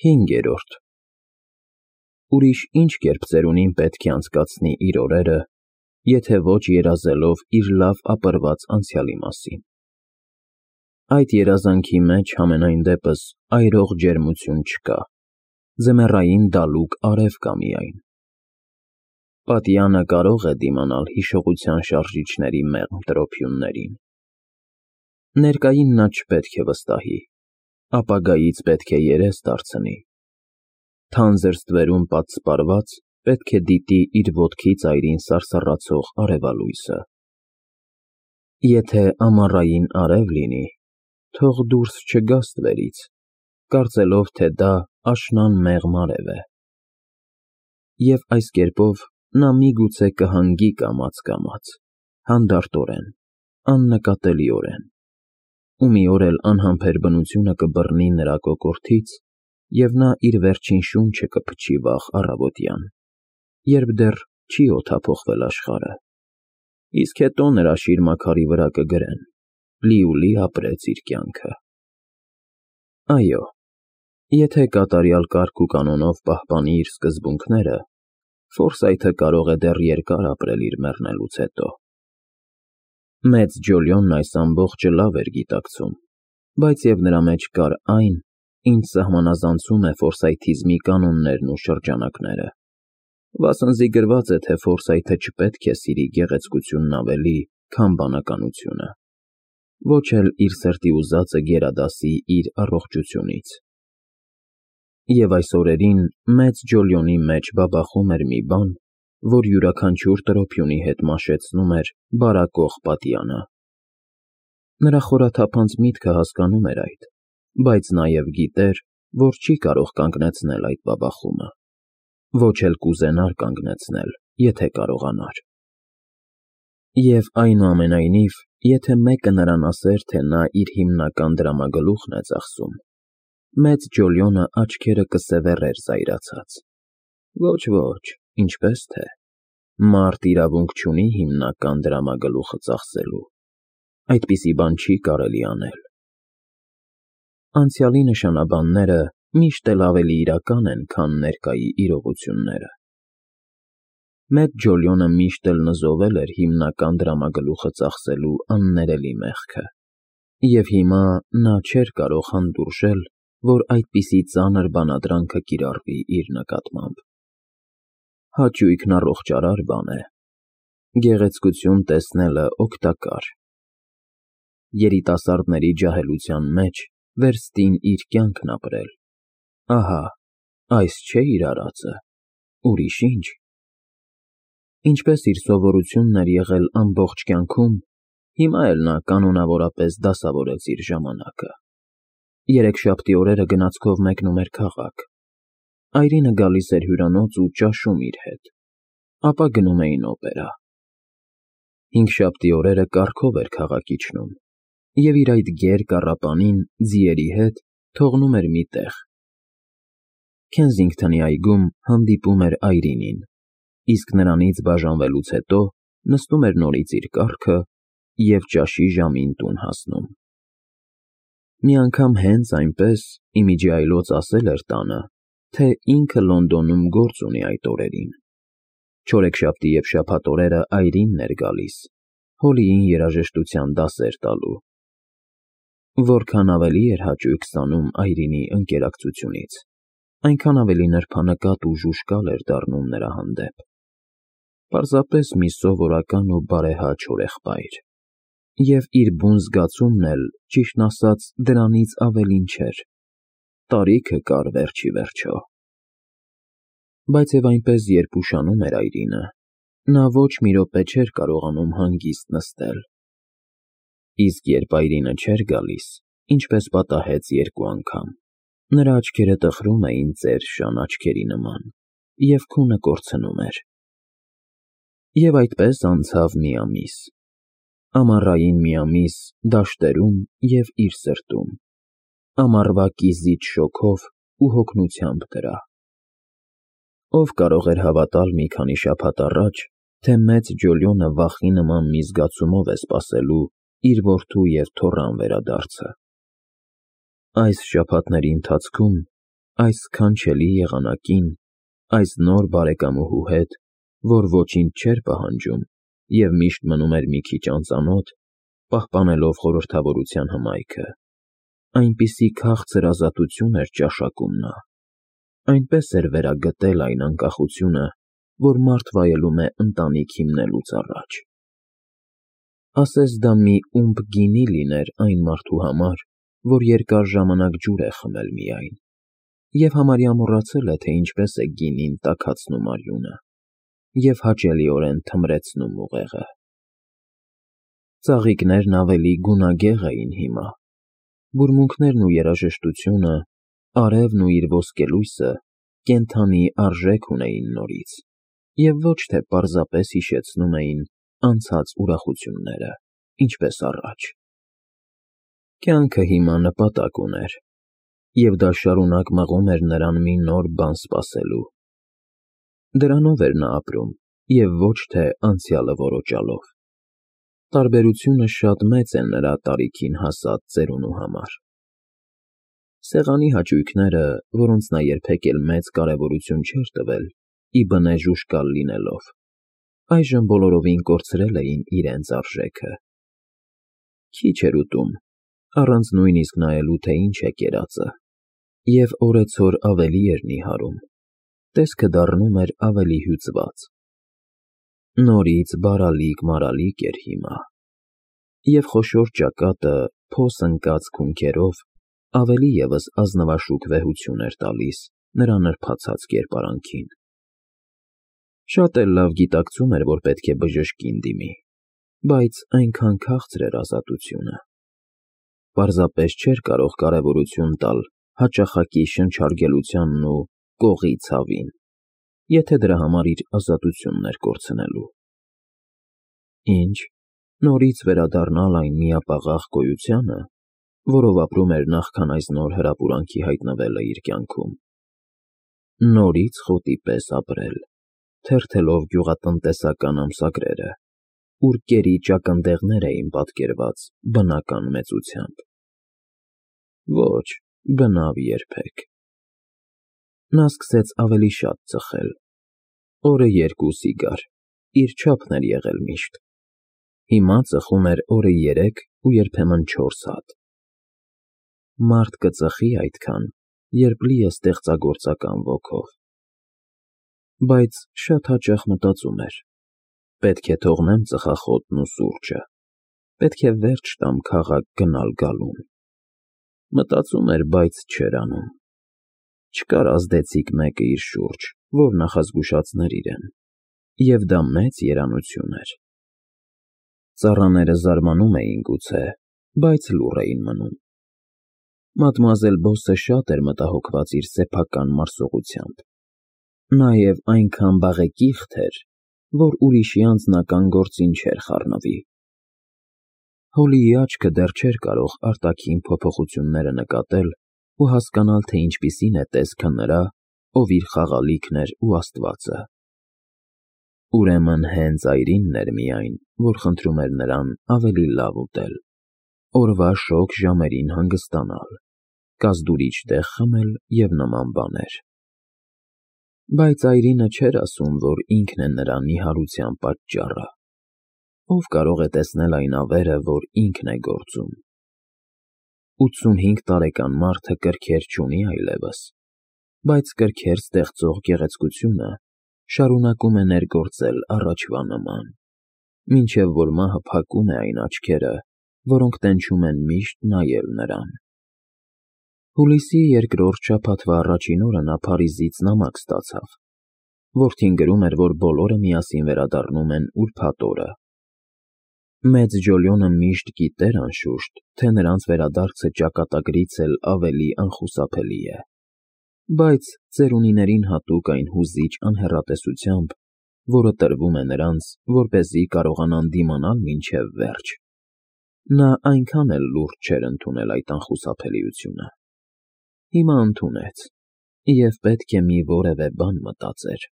5. Ուրիշ ինչ կերպ ծերունին պետք է անցկացնի իր օրերը, եթե ոչ երազելով իր լավ ապրված անցյալի մասին։ Այդ երազանքի մեջ համենայն դեպս այրող ջերմություն չկա, ձմեռային դալուկ արև կա միայն։ Պատյանը կարող է դիմանալ հիշողության շարժիչների մեղմ տրոփյուններին։ Ներկային նա չպետք է վստահի, ապագայից պետք է երես դարձնի։ Թանձր ստվերում պատսպարված պետք է դիտի իր ոտքի ծայրին սարսռացող արևալույսը։ Եթե ամառային արև լինի, թող դուրս չգա ստվերից, կարծելով, թե դա աշնան մեղմ արև է։ Եվ այս կերպով նա միգուցե կհանգի կամաց, հանդարտորեն, աննկատելիորեն, ու մի օր էլ անհամբեր բնությունը կբռնի նրա կոկորդից, և նա իր վերջին շունչը կփչի վաղ առավոտյան, երբ դեռ չի օդափոխվել աշխարհը, իսկ հետո նրա շիրմաքարի վրա կգրեն. լիուլի ապրեց իր կյանքը։ Այո, եթե կատարյալ կարգ ու կանոնով պահպանի իր սկզբունքները, Ֆորսայթը կարող է դեռ երկար ապրել իր մեռնելուց հետո։ Մեծ Ջոլիոնն այս ամբողջը լավ էր գիտակցում, բայց և նրա մեջ կար այն, ինչ սահմանազանցում է ֆորսայթիզմի կանոններն ու շրջանակները։ Վասնզի գրված է, թե Ֆորսայթը չպետք է սիրի գեղեցկությունն ավելի, քան բանականությունը, ոչ էլ իր սրտի ուզածը գերադասի իր առողջությունից։ Եվ այս օրերին մեծ Ջոլիոնի մեջ բաբախում էր մի բան, որ յուրաքանչյուր տրոփյունի հետ մաշեցնում էր բարակող պատյանը։ Նրա խորաթափանց միտքը հասկանում էր այդ, բայց նաև գիտեր, որ չի կարող կանգնեցնել այդ բաբախումը, ոչ էլ կուզենար կանգնեցնել, եթե կարողանար։ Եվ այնուամենայնիվ, եթե մեկը նրան ասեր, թե նա իր հիմնական դրամագլուխն է ծախսում, մեծ Ջոլիոնը աչքերը կսևեռեր զայրացած։ Ոչ, ինչպես թե, մարդ իրավունք չունի հիմնական դրամագլուխը ծախսելու, այդպիսի բան չի կարելի անել։ Անցյալի նշանաբանները միշտ էլ ավելի իրական են, քան ներկայի իրողությունները։ Մեծ Ջոլիոնը միշտ էլ նզովել էր հիմնական դրամագլուխը ծախսելու աններելի մեղքը, և հիմա նա չէր կարող հանդուրժել, որ այդպիսի ծանր բանադրանքը կիրառվի իր նկատմամբ։ Հաճույքն առողջարար բան է, գեղեցկություն տեսնելը օգտակար։ Երիտասարդների ջահելության մեջ վերստին իր կյանքն ապրել։ Ահա, այս չէ իր արածը, ուրիշ ինչ։ Ինչպես իր սովորությունն էր եղել ամբողջ կյանքում, հիմա էլ նա կանոնավորապես դասավորեց իր ժամանակը։ Երեքշաբթի օրերը գնացքով մեկնում էր քաղաք։ Այրինը գալիս էր հյուրանոց ու ճաշում իր հետ, ապա գնում էին օպերա։ Հինգշաբթի օրերը կառքով էր քաղաք իջնում, և իր այդ գեր կառապանին ձիերի հետ թողնում էր մի տեղ։ Քենսինգթոնի այգում հանդիպում էր Այրինին, իսկ նրանից բաժանվելուց հետո նստում էր նորից իր կառքը և ճաշի ժամին տուն հասնում։ Մի անգամ հենց այնպես ի միջի այլոց ասել էր տանը, թե ինքը Լոնդոնում գործ ունի այդ օրերին։ Չորեքշաբթի և շաբաթ օրերը Այրինն էր գալիս, Հոլիին երաժշտության դասեր տալու։ Որքան ավելի էր հաճույք ստանում Այրինի ընկերակցությունից, այնքան ավելի նրբանկատ ու ժուժկալ էր դառնում նրա հանդեպ։ Պարզապես մի սովորական ու բարեհաճ հորեղբայր։ Եվ իր բուն զգացումն էլ, ճիշտն ասած, դրանից ավելին չէր, տարիքը կար վերջիվերջո։ Բայց և այնպես, երբ ուշանում էր Այրինը, նա ոչ մի րոպե չէր կարողանում հանգիստ նստել։ Իսկ երբ Այրինը չէր գալիս, ինչպես պատահեց երկու անգամ, նրա աչքերը տխրում էին ծեր շան աչքերի նման, և քունը կորցնում էր։ Եվ այդպես անցավ մի ամիս։ Ամառային մի ամիս դաշտերում և իր սրտում, ամառվա կիզիչ շոգով ու հոգնությամբ դրա։ Ով կարող էր հավատալ մի քանի շաբաթ առաջ, թե մեծ Ջոլիոնը վախի նման մի զգացումով է սպասելու իր որդու և թոռան վերադարձը։ Այս շաբաթների ընթացքում այս սքանչելի եղանակին, այս նոր բարեկամուհու հետ, որ ոչինչ չէր պահանջում և միշտ մնում էր մի քիչ անծանոթ, պահպանելով խորհրդավորության հմայքը, այնպիսի քաղցր ազատություն էր ճաշակում նա, այնպես էր վերագտել այն անկախությունը, որ մարդ վայելում է ընտանիք հիմնելուց առաջ։ Ասես դա մի ումպ գինի լիներ այն մարդու համար, որ երկար ժամանակ ջուր է խմել միայն, և համարյա մոռացել է, թե ինչպես է գինին տաքացնում արյունը և հաճելիորեն թմրեցնում ուղեղը։ Ծաղիկներն ավելի գունագեղ էին հիմա, բուրմունքներն ու երաժշտությունը, արևն ու իր ոսկելույսը կենդանի արժեք ունեին նորից և ոչ թե պարզապես հիշեցնում էին անցած ուրախությունները, ինչպես առաջ։ Կյանքը հիմա նպատակ ուներ, և դա շարունակ մղում էր նրան մի նոր բան սպասելու։ Դրանով էր նա ապրում և ոչ թե անցյալը որոջալով։ Տարբերությունը շատ մեծ է նրա տարիքին հասած ծերունու համար։ Սեղանի հաճույքները, որոնց նա երբեք էլ մեծ կարևորություն չէր տվել, ի բնե ժուժկալ լինելով, այժմ բոլորովին կորցրել էին իրենց արժեքը։ Քիչ էր ուտում, առանց նույնիսկ նայելու, թե ինչ է կերածը, և օրեցօր ավելի էր նիհարում, տեսքը դառնում էր ավելի հյուծված։ Նորից բարալիկ-մարալիկ էր հիմա, և խոշոր ճակատը փոս ընկած քունքերով ավելի ևս ազնվաշուք վեհություն էր տալիս նրա նրբացած կերպարանքին։ Շատ էլ լավ գիտակցում էր, որ պետք է բժշկին դիմի, բայց այնքան քաղցր էր ազատությունը։ Պարզապես չէր կարող կարևորություն տալ հաճախակի շնչարգելությանն ու կողի ցավին, եթե դրա համար իր ազատությունն էր կորցնելու։ Ինչ, նորից վերադառնալ այն միապաղաղ գոյությանը, որով ապրում էր նախքան այս նոր հրապուրանքի հայտնվելը իր կյանքում։ Նորից խոտի պես ապրել, թերթելով գյուղատնտեսական ամսագրերը, ուր կերի ճակնդեղներ էին պատկերված բնական մեծությամբ։ Ոչ, բնավ երբեք։ Նա սկսեց ավելի շատ ծխել, օրը 2 սիգար, իր չափն էր եղել միշտ, հիմա ծխում էր օրը 3 ու երբեմն 4 հատ։ Մարդ կծխի այդքան, երբ լի է ստեղծագործական ոգով։ Բայց շատ հաճախ մտածում էր. պետք է թողնեմ ծխախոտն ու սուրճը, պետք է վերջ տամ քաղաք գնալ֊գալուն։ Մտածում էր, բայց չէր անում։ Չկար ազդեցիկ մեկը իր շուրջ, որ նախազգուշացներ իրեն, և դա մեծ երանություն էր։ Ծառաները զարմանում էին գուցե, բայց լուռ էին մնում։ Մադմուազել Բոսը շատ էր մտահոգված իր սեփական մարսողությամբ, նաև այնքան բաղեկիղթ էր, որ ուրիշի անձնական գործին չէր խառնվի։ Հոլիի աչքը դեռ չէր կարող արտաքին փոփոխությունները նկատել ու հասկանալ, թե ինչպիսին է տեսքը նրա, ով իր խաղալիքն էր ու աստվածը։ Ուրեմն հենց այրինն էր միայն, որ խնդրում էր նրան ավելի լավ ուտել, օրվա շոգ ժամերին հանգստանալ, կազդուրիչ տեղ խմել և նման բաներ։ Բայց այրինը չէր ասում, որ ինքն է նրա նիհարության պատճառը։ Ով կարող է տեսնել այն ավերը, որ ինքն է գործում։ 85 տարեկան մարդը կրքեր չունի այլևս, բայց կրքեր ստեղծող գեղեցկությունը շարունակում է ներգործել առաջվա նման, մինչև որ մահը փակում է այն աչքերը, որոնք տենչում են միշտ նայել նրան։ Հուլիսի 2-րդ շաբաթվա առաջին օրը նա Փարիզից նամակ ստացավ, որթին գրում էր, որ բոլորը միասին վերադառնում են ուրբաթ օրը։ Մեծ Ջոլիոնը միշտ գիտեր, անշուշտ, թե նրանց վերադարձը ճակատագրից էլ ավելի անխուսափելի է, բայց ծերունիներին հատուկ այն հուզիչ անհեռատեսությամբ, որը տրվում է նրանց, որպեսզի կարողանան դիմանալ մինչև վերջ, նա այնքան էլ լուրջ չէր ընդունել այդ անխուսափելիությունը։ Հիմա ընդունեց և պետք է մի որևէ բան մտածեր։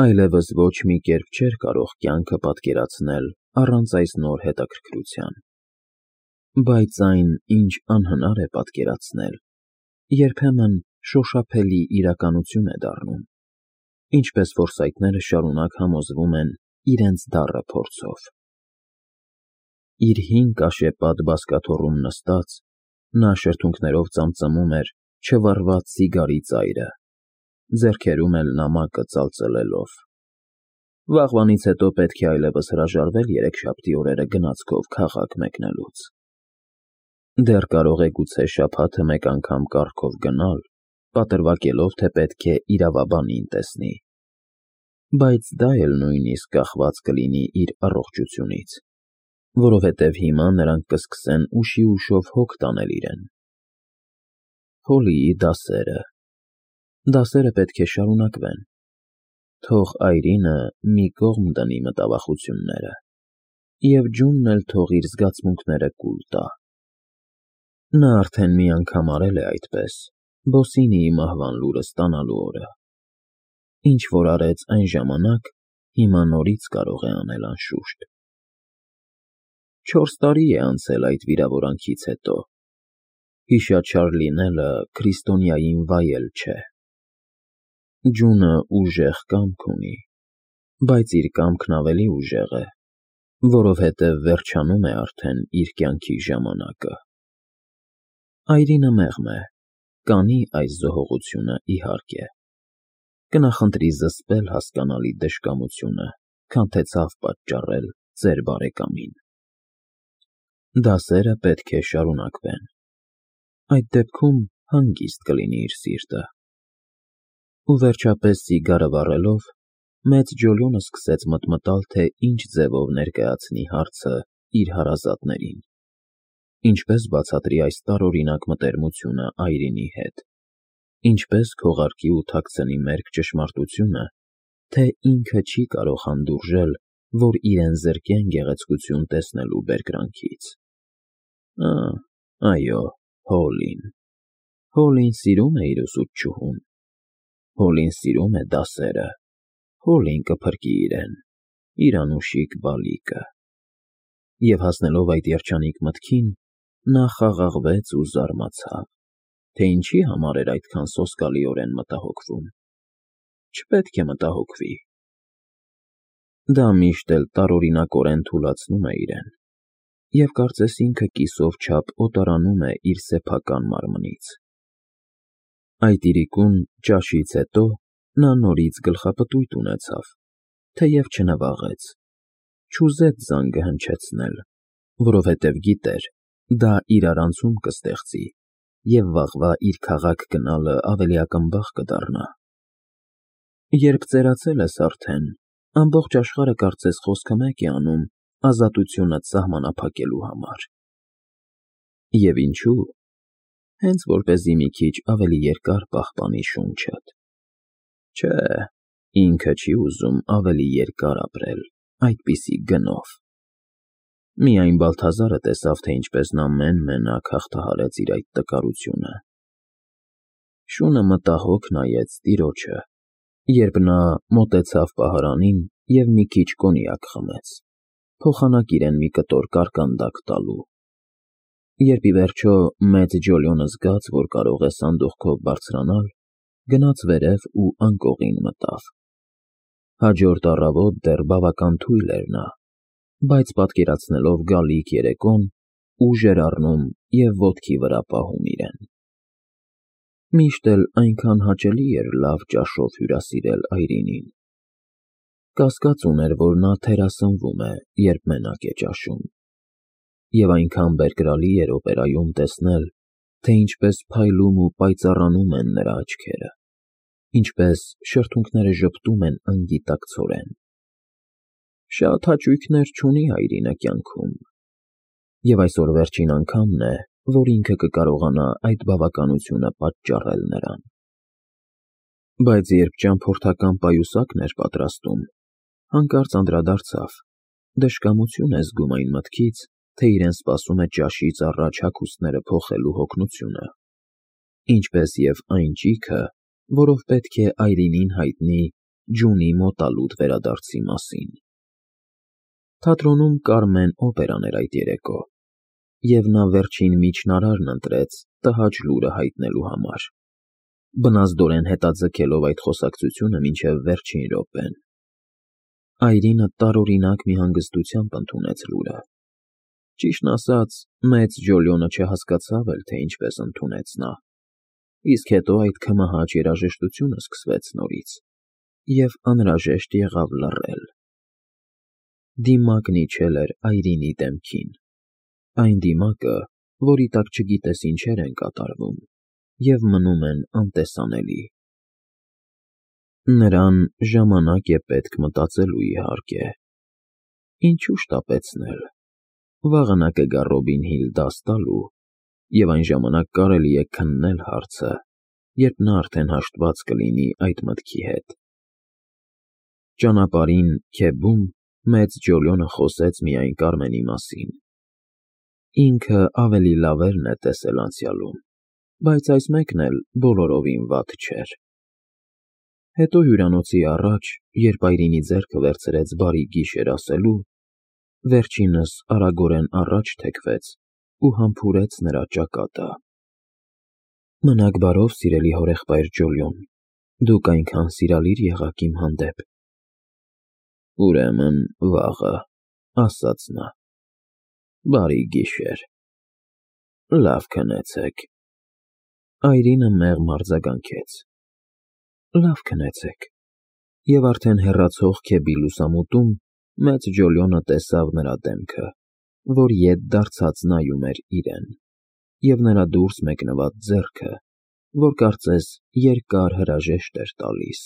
Այլևս ոչ մի կերպ չէր կարող կյանքը պատկերացնել առանց այս նոր հետաքրքրության։ Բայց այն, ինչ անհնար է պատկերացնել, երբեմն շոշափելի իրականություն է դառնում, ինչպես ֆորսայթները շարունակ համոզվում են իրենց դառը փորձով։ Իր հին կաշեպատ բազկաթոռում նստած, նա շրթունքներով ծամծմում էր չվառված սիգարի ծայրը, ձեռքերում էլ նամակը ծալծլելով։ Վաղվանից հետո պետք է այլևս հրաժարվել երեքշաբթի օրերը գնացքով քաղաք մեկնելուց։ Դեռ կարող է գուցե շաբաթը մեկ անգամ կառքով գնալ, պատրվակելով, թե պետք է իրավաբանին տեսնի, բայց դա էլ նույնիսկ կախված կլինի իր առողջությունից, որովհետև հիմա նրանք կսկսեն ուշի ուշով հոգ տանել իրեն։ Հոլիի դասերը պետք է շարունակվեն, թող Այրինը մի կողմ դնի մտավախությունները, և Ջունն էլ թող իր զգացմունքները կուլ տա։ Նա արդեն մի անգամ արել է այդպես, Բոսինիի մահվան լուրը ստանալու օրը։ Ինչ որ արեց այն ժամանակ, հիմա նորից կարող է անել անշուշտ։ 4 տարի է անցել այդ վիրավորանքից հետո։ Հիշաչար լինելը քրիստոնյային վայել չէ։ Ջունը ուժեղ կամք ունի, բայց իր կամքն ավելի ուժեղ է, որովհետև վերջանում է արդեն իր կյանքի ժամանակը։ Այրինը մեղմ է, կանի այս զոհողությունը իհարկե։ Կնախընտրի զսպել հասկանալի դժկամությունը, քան թե ցավ պատճառել ձեր բարեկամին։ Դասերը պետք է շարունակվեն։ Այդ դեպքում հանգիստ կլինի իր սիրտը։ Ու վերջապես սիգարը վառելով, մեծ Ջոլիոնը սկսեց մտմտալ, թե ինչ ձևով ներկայացնի հարցը իր հարազատներին, ինչպես բացատրի այս տարօրինակ մտերմությունը Այրինի հետ, ինչպես քողարկի ու թաքցնի մերկ ճշմարտությունը, թե ինքը չի կարող հանդուրժել, որ իրեն զրկեն գեղեցկություն տեսնելու բերկրանքից։ Այո, Հոլին սիրում է իր ուսուցչուհուն, Հոլին սիրում է դասերը, Հոլին կփրկի իրեն, իր անուշիկ բալիկը։ Եվ հասնելով այդ երջանիկ մտքին, նա խաղաղվեց ու զարմացավ, թե ինչի համար էր այդքան սոսկալիորեն մտահոգվում։ Չպետք է մտահոգվի։ Դա միշտ էլ տարօրինակորեն թուլացնում է իրեն, և կարծես ինքը կիսով չափ օտարանում է իր սեփական մարմնից։ Այդ իրիկուն ճաշից հետո նա նորից գլխապտույտ ունեցավ, թեև չնվաղեց, չուզեց զանգը հնչեցնել, որովհետև գիտեր, դա իրարանցում կստեղծի, և վաղվա իր քաղաք գնալը ավելի ակնբախ կդառնա։ Երբ ծերացել ես արդեն, ամբողջ աշխարհը կարծես խոսքը մեկ է անում ազատությունդ սահմանափակելու համար։ Եվ ինչու՞։ Հենց որպեսզի մի քիչ ավելի երկար պահպանի շունչդ։ Չէ, ինքը չի ուզում ավելի երկար ապրել այդպիսի գնով։ Միայն Բալթազարը տեսավ, թե ինչպես նա մեն֊մենակ հաղթահարեց իր այդ տկարությունը։ Շունը մտահոգ նայեց տիրոջը, երբ նա մոտեցավ պահարանին և մի քիչ կոնյակ խմեց, փոխանակ իրեն մի կտոր կարկանդակ տալու։ Երբ ի վերջո մեծ Ջոլիոնը զգաց, որ կարող է սանդուղքով բարձրանալ, գնաց վերև ու անկողին մտավ։ Հաջորդ առավոտ դեռ բավական թույլ էր նա, բայց պատկերացնելով գալիք երեկոն, ուժ էր առնում և ոտքի վրա պահում իրեն։ Միշտ էլ այնքան հաճելի էր լավ ճաշով հյուրասիրել Այրինին։ Կասկած ուներ, որ նա թերասնվում է, երբ մենակ է ճաշում, և այնքան բերկրալի էր օպերայում տեսնել, թե ինչպես փայլում ու պայծառանում են նրա աչքերը, ինչպես շրթունքները ժպտում են անգիտակցորեն։ Շատ հաճույքներ չունի Այրինը կյանքում, և այսօր վերջին անգամն է, որ ինքը կկարողանա այդ բավականությունը պատճառել նրան։ Բայց երբ ճամփորդական պայուսակն էր պատրաստում, հանկարծ անդրադարձավ. դժկամություն է զգում այն մտքից, թե իրեն սպասում է ճաշից առաջ հագուստները փոխելու հոգնությունը, ինչպես և այն ճիգը, որով պետք է Այրինին հայտնի Ջունի մոտալուտ վերադարձի մասին։ Թատրոնում Կարմեն օպերան էր այդ երեկո, և նա վերջին միջնարարն ընտրեց տհաճ լուրը հայտնելու համար։ բնազդորեն հետաձգելով այդ խոսակցությունը մինչև վերջին րոպեն։ Այրինը տարօրինակ մի հանգստությամբ ընդունեց լուրը։ Ճիշտն ասած, մեծ Ջոլիոնը չհասկացավ էլ, թե ինչպես ընդունեց նա, իսկ հետո այդ քմահաճ երաժշտությունը սկսվեց նորից, և անհրաժեշտ եղավ լռել։ Դիմակն իջել էր Այրինի դեմքին, այն դիմակը, որի տակ չգիտես ինչեր են կատարվում և մնում են անտեսանելի։ Նրան ժամանակ է պետք մտածելու, իհարկե։ Ինչու շտապեցնել։ Վաղը նա կգա Ռոբին Հիլ դաս տալու, և այն ժամանակ կարելի է քննել հարցը, երբ նա արդեն հաշտված կլինի այդ մտքի հետ։ Ճանապարհին քեբում մեծ Ջոլիոնը խոսեց միայն Կարմենի մասին։ Ինքը ավելի լավերն է տեսել անցյալում, բայց այս մեկն էլ բոլորովին վատ չէր։ Հետո հյուրանոցի առաջ, երբ Այրինի ձեռքը վերցրեց բարի գիշեր ասելու, վերջինս արագորեն առաջ թեքվեց ու համբուրեց նրա ճակատը։ Մնաք բարով, սիրելի հորեղբայր Ջոլիոն, դուք այնքան սիրալիր եղաք իմ հանդեպ։ Ուրեմն վաղը, ասաց նա։ Բարի գիշեր։ Լավ քնեցեք։ Այրինը մեղմ արձագանքեց։ Լավ քնեցեք։ Եվ արդեն հեռացող քեբի լուսամուտում մեծ Ջոլիոնը տեսավ նրա դեմքը, որ ետ դարձած նայում էր իրեն, և նրա դուրս մեկնված ձեռքը, որ կարծես երկար հրաժեշտ էր տալիս։